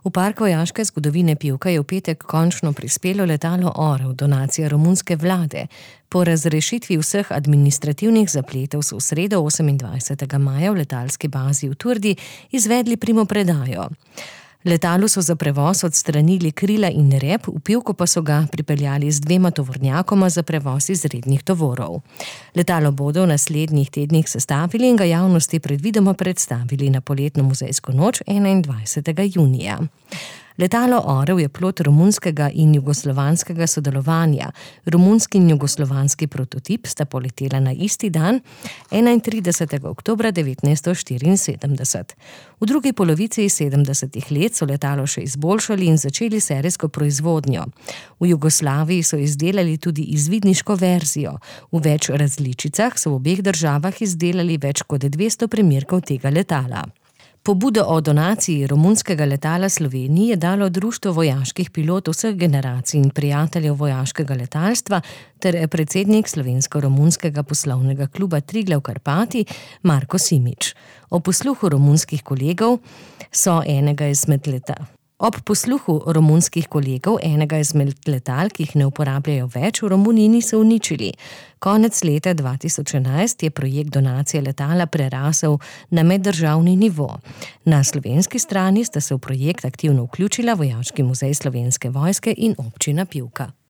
V park vojaške zgodovine Pivka je v petek končno prispelo letalo Orel, donacija romunske vlade. Po razrešitvi vseh administrativnih zapletov so v sredo 28. maja v letalski bazi v Turdi izvedli primopredajo. Letalu so za prevoz odstranili krila in rep, v Pivko pa so ga pripeljali z 2 tovornjakoma za prevoz izrednih tovorov. Letalo bodo v naslednjih tednih sestavili in ga javnosti predvidoma predstavili na poletno muzejsko noč 21. junija. Letalo Orel je plod romunskega in jugoslovanskega sodelovanja. Romunski in jugoslovanski prototip sta poletela na isti dan, 31. oktobra 1974. V drugi polovici 70. let so letalo še izboljšali in začeli serijsko proizvodnjo. V Jugoslaviji so izdelali tudi izvidniško verzijo. V več različicah so v obeh državah izdelali več kot 200 primerkov tega letala. Pobudo o donaciji romunskega letala Sloveniji je dalo Društvo vojaških pilotov vseh generacij in prijateljev vojaškega letalstva ter predsednik slovensko-romunskega poslovnega kluba Triglav Karpati Marko Simič. Ob posluhu romunskih kolegov enega izmed letal, ki jih ne uporabljajo več, v Romuniji niso uničili. Konec leta 2011 je projekt donacije letala prerasel na meddržavni nivo. Na slovenski strani sta se v projekt aktivno vključila Vojaški muzej Slovenske vojske in občina Pivka.